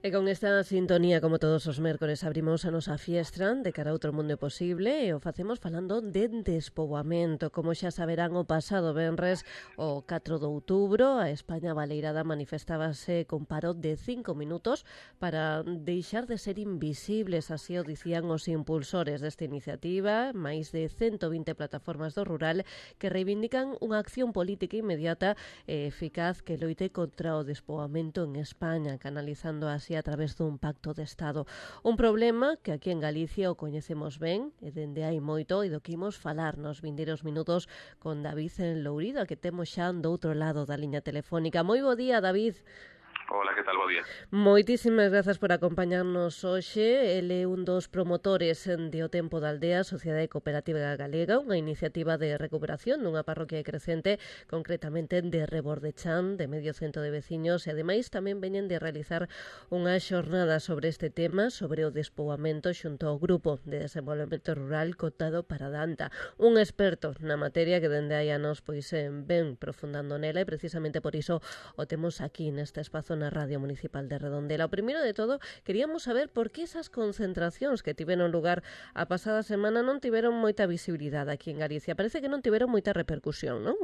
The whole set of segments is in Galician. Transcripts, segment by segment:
E con esta sintonía, como todos os mércores, abrimos a nosa fiestra de cara a outro mundo posible e o facemos falando de despoboamento. Como xa saberán, o pasado venres, o 4 de outubro, a España baleirada manifestábase con paro de 5 minutos para deixar de ser invisibles, así o dicían os impulsores desta iniciativa, máis de 120 plataformas do rural que reivindican unha acción política inmediata e eficaz que loite contra o despoboamento en España, canalizando así a través dun pacto de Estado. Un problema que aquí en Galicia o coñecemos ben e dende hai moito e do que imos falar nos vindeiros minutos con David en Lourido, que temos xa do outro lado da liña telefónica. Moi bo día, David. Hola, que tal? Bo día. Moitísimas grazas por acompañarnos hoxe. Ele é un dos promotores de O Tempo da Aldea, Sociedade Cooperativa Galega, unha iniciativa de recuperación dunha parroquia crecente, concretamente de Rebordechán, de medio cento de veciños, e ademais tamén veñen de realizar unha xornada sobre este tema, sobre o despoboamento xunto ao Grupo de Desenvolvemento Rural Cotado para Danta, un experto na materia que dende hai anos pois ven profundando nela e precisamente por iso o temos aquí neste espazo na Radio Municipal de Redondela. O primeiro de todo, queríamos saber por que esas concentracións que tiveron lugar a pasada semana non tiveron moita visibilidade aquí en Galicia. Parece que non tiveron moita repercusión, non?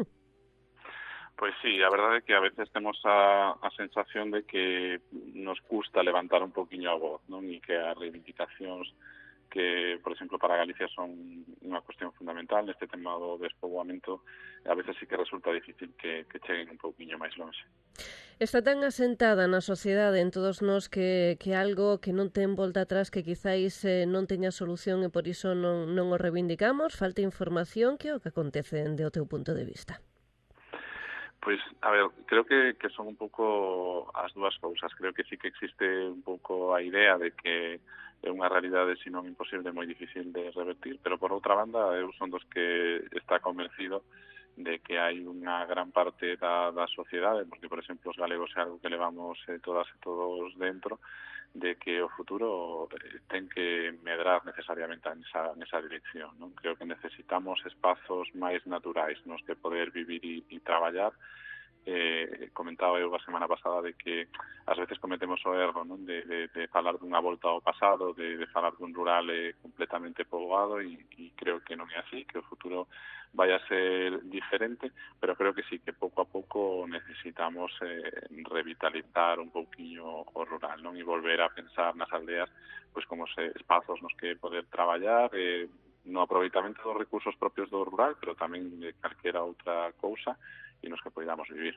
Pois sí, a verdade é que a veces temos a sensación de que nos custa levantar un poquinho a voz, non? E que as reivindicacións que, por exemplo, para Galicia son unha cuestión fundamental neste tema do despoboamento, a veces sí que resulta difícil que cheguen un pouquinho máis longe. Está tan asentada na sociedade en todos nós que algo que non ten volta atrás, que quizáis non teña solución e por iso non o reivindicamos, falta información. Que é o que acontece do teu punto de vista? Pois, a ver, creo que son un pouco as dúas cousas. Creo que sí que existe un pouco a idea de que é unha realidade, se non imposible, moi difícil de revertir, pero por outra banda, eu son dos que está convencido de que hai unha gran parte da sociedade, porque, por exemplo, os galegos é algo que levamos todas e todos dentro, de que o futuro ten que medrar necesariamente nesa dirección, non? Creo que necesitamos espazos máis naturais nos que poder vivir e traballar. Comentaba eu a semana pasada de que ás veces cometemos o erro, non? De falar dunha volta ao pasado, de falar dun rural completamente poboado e creo que non é así, que o futuro vai a ser diferente, pero creo que sí que pouco a pouco necesitamos revitalizar un pouquiño o rural, non? E volver a pensar nas aldeas pois como espazos nos que poder traballar, no aproveitamento dos recursos propios do rural, pero tamén de calquera outra cousa, e nos que podamos vivir.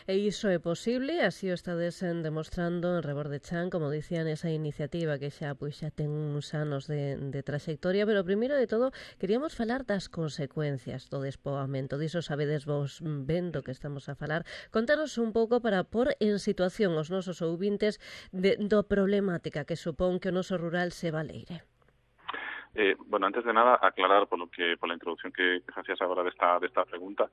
E iso é posible, así o estades demostrando en Rebordechán, como dicían, esa iniciativa que xa ten uns anos de traxectoria, pero primeiro de todo queríamos falar das consecuencias do despoboamento. Diso sabedes vos vendo que estamos a falar. Contanos un pouco para pôr en situación os nosos ouvintes do problemática que supón que o noso rural se baleire. Bueno, antes de nada, aclarar pola introducción que facías agora desta pregunta,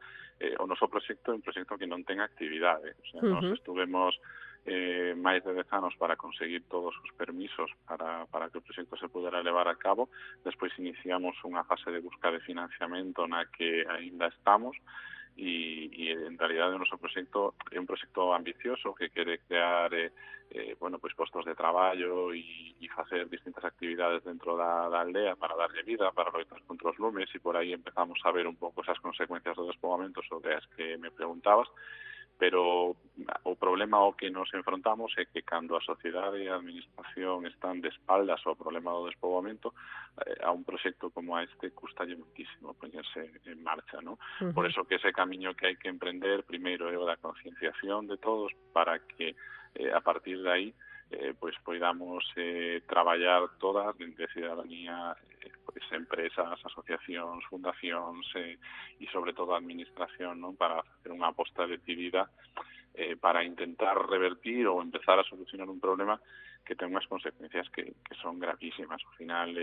o noso proxecto é un proxecto que non ten actividade. O sea, nos estuvemos máis de 10 anos para conseguir todos os permisos para que o proxecto se pudera levar a cabo. Despois iniciamos unha fase de busca de financiamento na que aínda estamos, e en realidade o noso proxecto é un proxecto ambicioso que quere crear pois postos de traballo e facer distintas actividades dentro da aldea para darlle vida, para loitar contra os lumes, e por aí empezamos a ver un pouco esas consecuencias do despoboamento sobre as que me preguntabas. Pero o problema ao que nos enfrontamos é que cando a sociedade e a administración están de espaldas ao problema do despoboamento, a un proxecto como este custalle muitísimo poñerse en marcha, non? Por eso que ese camiño que hai que emprender primeiro é o da concienciación de todos para que a partir de aí pois poidamos traballar todas dende cidadanía, pois empresas, asociacións, fundacións e sobre todo a administración, non? Para facer unha aposta decidida para intentar revertir ou empezar a solucionar un problema que ten unhas consecuencias que son gravísimas. Ao final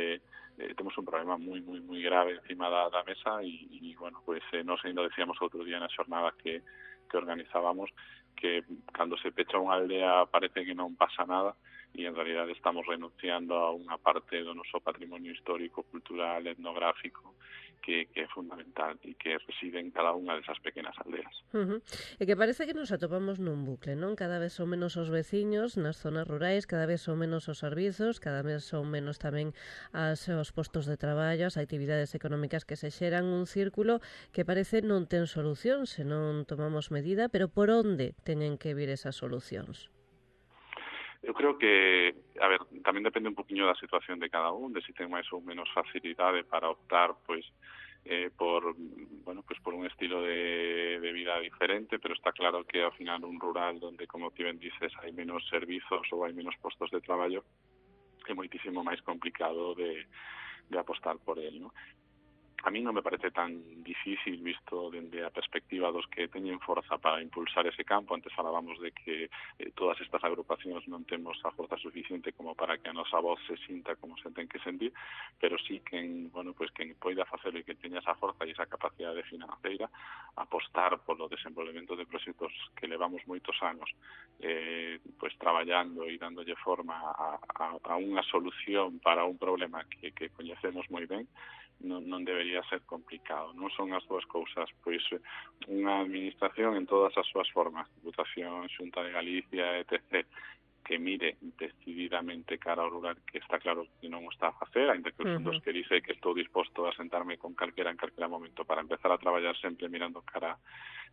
temos un problema moi grave encima da mesa e bueno, pois nos ainda decíamos outro día na xornada que organizábamos que cando se pecha unha aldea parece que non pasa nada, e en realidad estamos renunciando a unha parte do noso patrimonio histórico, cultural, etnográfico, que é fundamental e que reside en cada unha desas pequenas aldeas. E que parece que nos atopamos nun bucle, non? Cada vez son menos os veciños nas zonas rurais, cada vez son menos os servizos, cada vez son menos tamén os postos de traballo, as actividades económicas que se xeran, un círculo que parece non ten solución se non tomamos medida, pero por onde teñen que vir esas solucións? Eu creo que, a ver, tamén depende un poquinho da situación de cada un, de si ten máis ou menos facilidade para optar, pois, por un estilo de vida diferente, pero está claro que ao final un rural donde, como ti ben dices, hai menos servizos ou hai menos postos de traballo, é moitísimo máis complicado de apostar por el, ¿no? A mí non me parece tan difícil visto dende a perspectiva dos que teñen forza para impulsar ese campo. Antes falábamos de que todas estas agrupacións non temos a forza suficiente como para que a nosa voz se sinta como se ten que sentir, pero sí que quen poida facelo e que teña esa forza e esa capacidade financeira, apostar polo desenvolvemento de proxectos que levamos moitos anos traballando e dándolle forma a unha solución para un problema que coñecemos moi ben, non debería ser complicado, non son as dúas cousas, pois unha administración en todas as súas formas, Diputación, Xunta de Galicia, etc., que mire decididamente cara ao rural, que está claro que non o está a facer, ainda que os fundos que dice que estou disposto a sentarme con calquera en calquera momento para empezar a traballar sempre mirando cara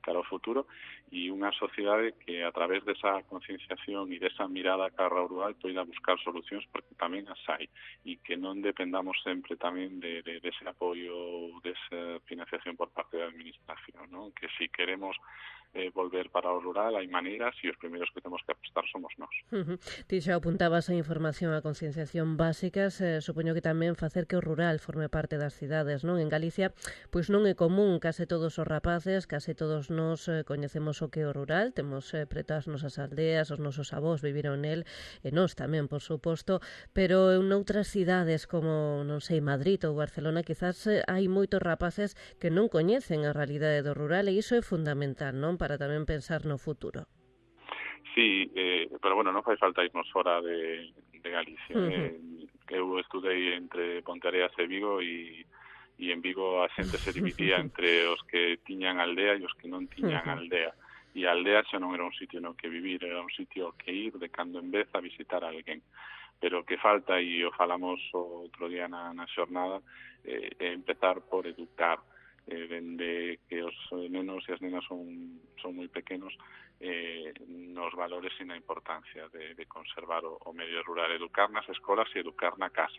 ao futuro, e unha sociedade que a través desa concienciación e desa mirada cara ao rural poida buscar solucións, porque tamén as hai, e que non dependamos sempre tamén dese apoio, desa financiación por parte da administración, ¿no? Que si queremos volver para o rural hai maneiras e os primeiros que temos que apostar somos nós. Ti xa apuntabas a información, a concienciación básicas, supoño que tamén facer que o rural forme parte das cidades, non? En Galicia, pois non é común, case todos os rapaces, case todos nós coñecemos o que é o rural, temos preto as nosas aldeas, os nosos avós viviron nel, e nós tamén, por suposto, pero en outras cidades como, non sei, Madrid ou Barcelona, quizás hai moitos rapaces que non coñecen a realidade do rural, e iso é fundamental, non? Para tamén pensar no futuro. Sí, pero bueno, non fai falta irnos fora de Galicia. Eu estudei entre Ponteareas e Vigo e en Vigo a xente se dividía entre os que tiñan aldea e os que non tiñan aldea. E a aldea xa non era un sitio no que vivir, era un sitio que ir de cando en vez a visitar a alguén. Pero que falta, e o falamos outro día na xornada, é empezar por educar, dende que os nenos e as nenas son moi pequenos, nos valores e na importancia de conservar o medio rural, educar nas escolas e educar na casa,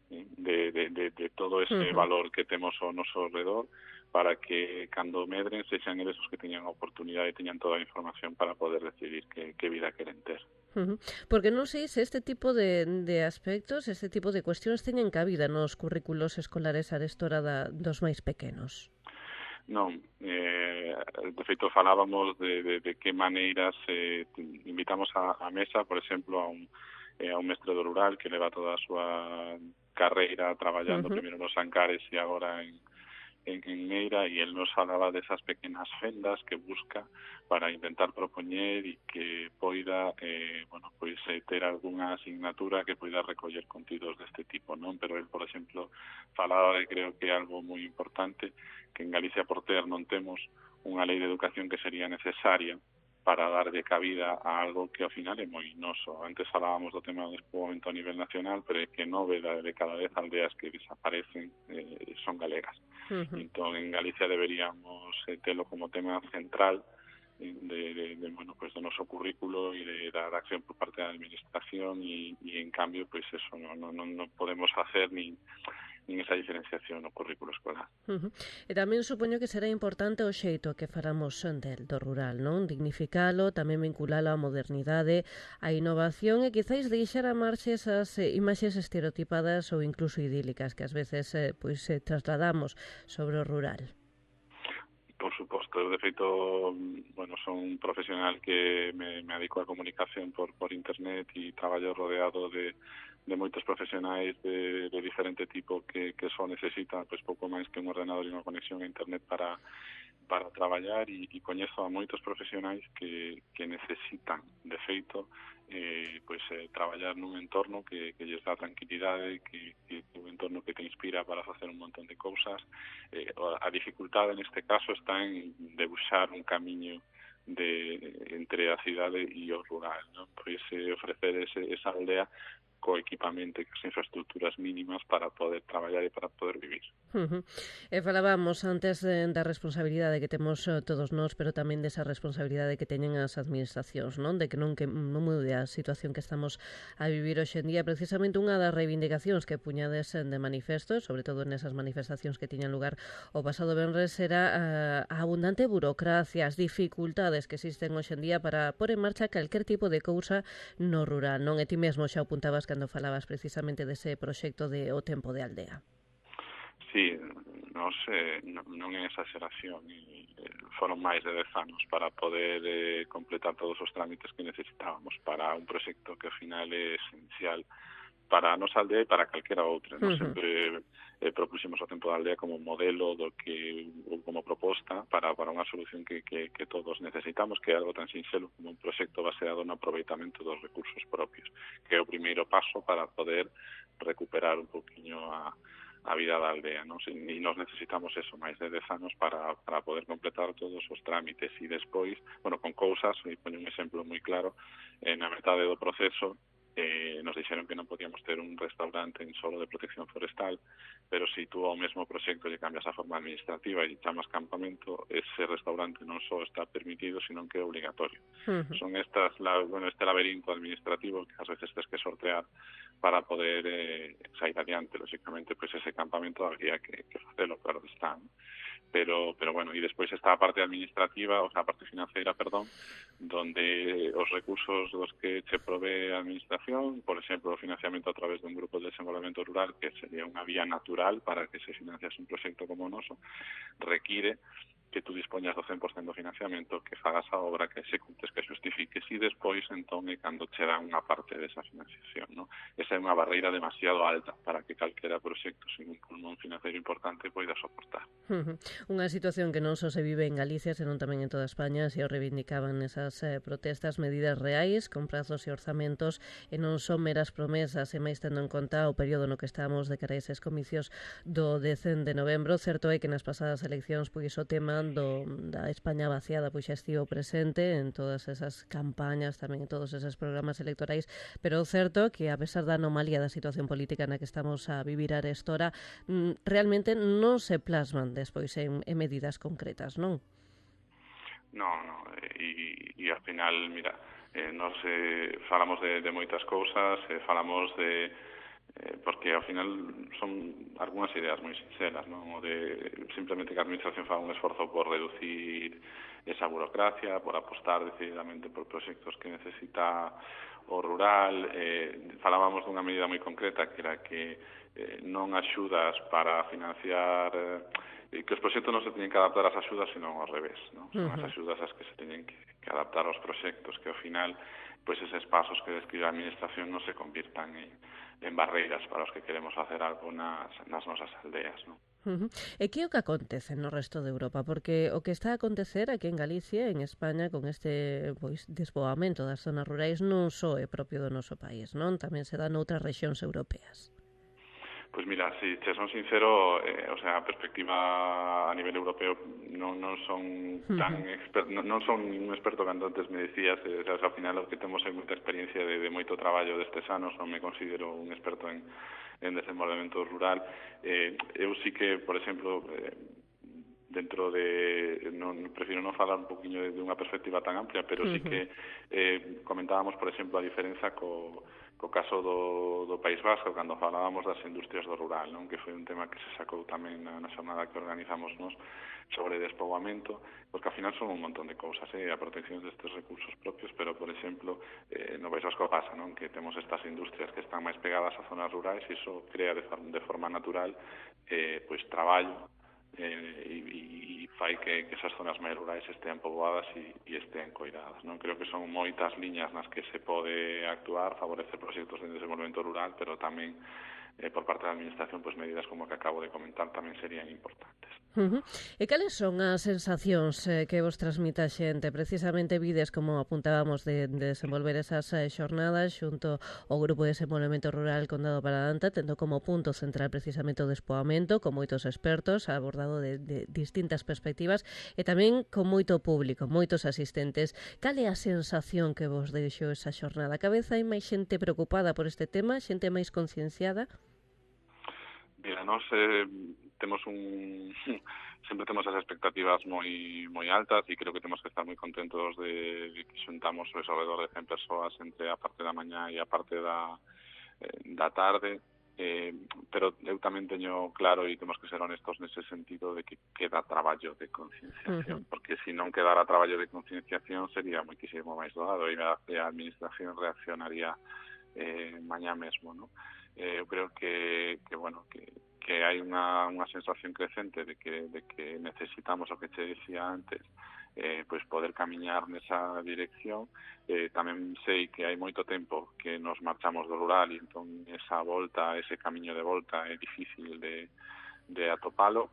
de todo ese valor que temos ao noso redor, para que cando medren sexan eles os que teñan a oportunidade e teñan toda a información para poder decidir que vida queren ter. Porque non sei se este tipo de aspectos, este tipo de cuestións teñen cabida nos currículos escolares arestora dos máis pequenos. Non, de feito falábamos de que maneiras invitamos a mesa, por exemplo, a un mestre do rural que leva toda a súa carreira traballando primeiro nos Ancares e agora en Meira, e el nos falaba desas pequenas fendas que busca para intentar propoñer e que poida ter algunha asignatura que poida recoller contidos deste tipo, non? Pero el, por exemplo, falaba de, creo que é algo moi importante, que en Galicia por ter non temos unha lei de educación que sería necesaria para darlle cabida a algo que ao final é moi noso. Antes falábamos do tema do despoboamento a nivel nacional, pero é que 9 de cada 10 aldeas que desaparecen son galegas. Entón, en Galicia deberíamos telo como tema central do noso currículo e de dar acción por parte da administración, e en cambio, pois eso, non podemos facer nin esa diferenciación no currículo escolar. E tamén supoño que será importante o xeito que faramos do rural, non? Dignificalo, tamén vinculalo á modernidade, á innovación e quizáis deixar a marxe esas imaxes estereotipadas ou incluso idílicas que ás veces trasladamos sobre o rural. Por suposto, eu de feito, son un profesional que me adico a comunicación por internet e traballo rodeado de moitos profesionais de diferente tipo que só necesitan pois pouco máis que un ordenador e unha conexión a internet para traballar, e coñezo a moitos profesionais que necesitan, de feito, traballar nun entorno que lles dá tranquilidade, que un entorno que te inspira para facer un montón de cousas. A dificultade neste caso está en debuxar un camiño entre a cidade e o rural, non? Pois ofrecer esa aldea co equipamento e as infraestructuras mínimas para poder traballar e para poder vivir. Falábamos antes da responsabilidade que temos todos nós, pero tamén desa responsabilidade que teñen as administracións, non? De que non mude a situación que estamos a vivir hoxe en día. Precisamente unha das reivindicacións que puñades de manifesto, sobre todo nesas manifestacións que tiñan lugar o pasado venres, era a abundante burocracia, as dificultades que existen hoxe en día para pôr en marcha calquer tipo de cousa no rural, non? E ti mesmo xa apuntabas cando falabas precisamente dese proxecto de O Tempo de Aldea. Sí, non é exageración, foron máis de 10 anos para poder completar todos os trámites que necesitábamos para un proxecto que ao final é esencial para a nosa aldea e para calquera outra. Nos sempre propuxemos o Tempo da Aldea como modelo ou como proposta para unha solución que todos necesitamos, que é algo tan sinxelo como un proxecto baseado no aproveitamento dos recursos propios, que é o primeiro paso para poder recuperar un poquinho a vida da aldea, non? E nos necesitamos eso, máis de 10 anos para poder completar todos os trámites, e despois, con cousas, e poño un exemplo moi claro, na metade do proceso nos dixeron que non podíamos ter un restaurante en solo de protección forestal, pero se tú ao mesmo proxecto lle cambias a forma administrativa e chamas campamento, ese restaurante non só está permitido, sino que é obligatorio. Son este laberinto administrativo que ás veces tens que sortear para poder sair adiante. Lógicamente, pois ese campamento habría que facelo, claro está, ¿no? Pero bueno, e despois está a parte administrativa, a parte financeira, donde os recursos dos que che provee a administración, por exemplo, o financiamento a través dun grupo de desenvolvemento rural, que sería unha vía natural para que se financiase un proxecto como o noso, require que tú dispoñas do 100% do financiamento, que fagas a obra, que executes, que xustifiques, e despois, entón, é cando che dan unha parte desa financiación, ¿no? Esa é unha barreira demasiado alta para que calquera proxecto sin un pulmón financiero importante poida soportar. Unha situación que non só se vive en Galicia, senón tamén en toda España. Se o reivindicaban esas protestas, medidas reais, con prazos e orzamentos, e non son meras promesas, e máis tendo en conta o período no que estamos de cara a eses comicios do 10 de novembro. Certo é que nas pasadas eleccións pois o tema da España vaciada pois xa estivo presente en todas esas campañas, tamén en todos eses programas electorais, pero o certo que a pesar da anomalía da situación política na que estamos a vivir arestora, realmente non se plasman despois en medidas concretas, non? Non, e ao final, mira, nos falamos de moitas cousas, falamos porque ao final son algunhas ideas moi sinceras, non? O de simplemente que a administración faga un esforzo por reducir esa burocracia, por apostar decididamente por proxectos que necesita o rural. Falábamos dunha medida moi concreta, que era que non axudas para financiar, que os proxectos non se teñen que adaptar ás axudas, senón ao revés, non? Son as axudas as que se teñen que adaptar aos proxectos, que ao final pois eses pasos que describe a administración non se convirtan en barreiras para os que queremos facer algo nas nosas aldeas, non? E que é o que acontece no resto de Europa? Porque o que está a acontecer aquí en Galicia, en España, con este despoboamento das zonas rurais, non só é propio do noso país, non? Tamén se dá noutras rexións europeas. Pois mira, se son sincero, a perspectiva a nivel europeo non son tan non son un experto cando antes me decías, ao final o que temos é moita experiencia de moito traballo destes anos, non me considero un experto en desenvolvemento rural. Eu sí que, por exemplo, dentro de, prefiro non falar un poquinho de unha perspectiva tan amplia, pero sí que comentábamos, por exemplo, a diferenza co caso do País Vasco, cando falábamos das industrias do rural, non? Que foi un tema que se sacou tamén na xornada que organizamos nós sobre despoboamento, porque ao final son un montón de cousas, a protección destes recursos propios, pero, por exemplo, no País Vasco pasa, non? Que temos estas industrias que están máis pegadas a zonas rurais e iso crea de forma natural pois traballo e fai que esas zonas máis rurais estean poboadas e estean coidadas, non? Creo que son moitas liñas nas que se pode actuar, favorecer proxectos de desenvolvemento rural, pero tamén por parte da Administración, pois medidas como que acabo de comentar tamén serían importantes. E cales son as sensacións que vos transmite a xente? Precisamente vides, como apuntábamos, de desenvolver esas xornadas xunto ao Grupo de Desenvolvemento Rural Condado Paradanta, tendo como punto central precisamente o despoamento, con moitos expertos, abordado de distintas perspectivas, e tamén con moito público, moitos asistentes. Cal é a sensación que vos deixou esa xornada? Cada vez hai máis xente preocupada por este tema, xente máis concienciada? Mira, nós temos sempre temos as expectativas moi altas e creo que temos que estar moi contentos de que xuntamos alrededor de 100 persoas entre a parte da mañá e a parte da tarde, pero eu tamén teño claro e temos que ser honestos nese sentido de que queda traballo de concienciación, porque se non quedara traballo de concienciación sería moitísimo máis doado e a Administración reaccionaría mañá mesmo, non? Eu creo que hai unha sensación crecente de que necesitamos o que te decía antes, pois poder camiñar nesa dirección. Tamén sei que hai moito tempo que nos marchamos do rural e entón esa volta, ese camiño de volta é difícil de atopalo.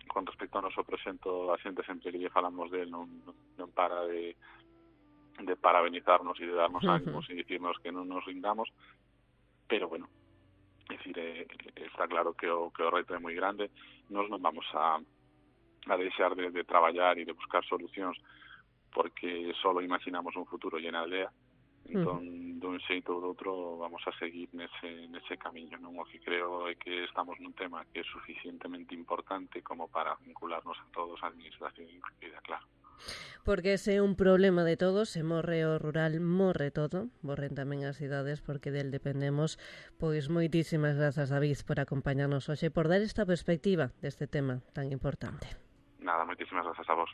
Con respecto ao noso proxecto, a xente sempre que lle falamos del non para de parabenizarnos e de darnos ánimos e dicirnos que non nos rindamos, pero bueno, é dicir, está claro que o reto é moi grande. Nós non vamos a deixar de traballar e de buscar solucións porque só imaginamos un futuro llena aldea. Entón, dun xeito ou do outro vamos a seguir nese camiño, non? O que creo é que estamos nun tema que é suficientemente importante como para vincularnos a todos a Administración incluída, claro. Porque ese é un problema de todos, se morre o rural, morre todo, morren tamén as cidades, porque del dependemos. Pois moitísimas grazas, David, por acompañarnos hoxe, por dar esta perspectiva deste tema tan importante. Nada, moitísimas grazas a vos.